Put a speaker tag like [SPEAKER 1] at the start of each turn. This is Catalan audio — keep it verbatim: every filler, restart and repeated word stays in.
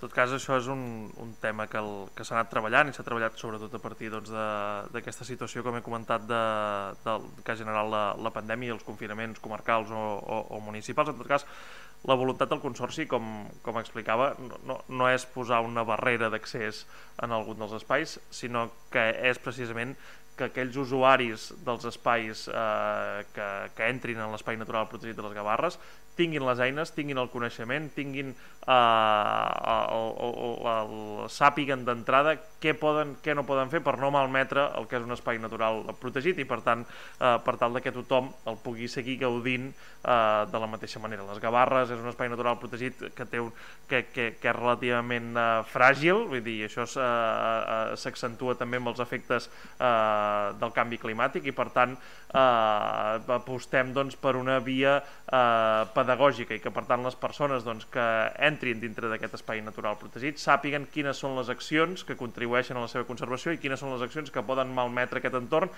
[SPEAKER 1] En tot cas, això és un, un tema que, el, que s'ha anat treballant i s'ha treballat sobretot a partir doncs, d'aquesta situació, com he comentat, de, de, que ha generat la, la pandèmia i els confinaments comarcals o, o, o municipals. En tot cas, la voluntat del Consorci, com, com explicava, no, no és posar una barrera d'accés en algun dels espais, sinó que és precisament que aquells usuaris dels espais eh, que, que entrin en l'espai natural protegit de les Gavarres tinguin les eines, tinguin el coneixement, tinguin eh, el, el, el, sàpiguen d'entrada què poden, què no poden fer per no malmetre el que és un espai natural protegit i per tant, eh, per tal de que tothom el pugui seguir gaudint eh, de la mateixa manera. Les Gavarres és un espai natural protegit que té un, que, que, que és relativament eh, fràgil, vull dir, això s'accentua també amb els efectes eh, del canvi climàtic i per tant eh, apostem doncs, per una via eh, pedagògica i que per tant les persones doncs, que entrin dintre d'aquest espai natural protegit sàpiguen quines són les accions que contribueixen a la seva conservació i quines són les accions que poden malmetre aquest entorn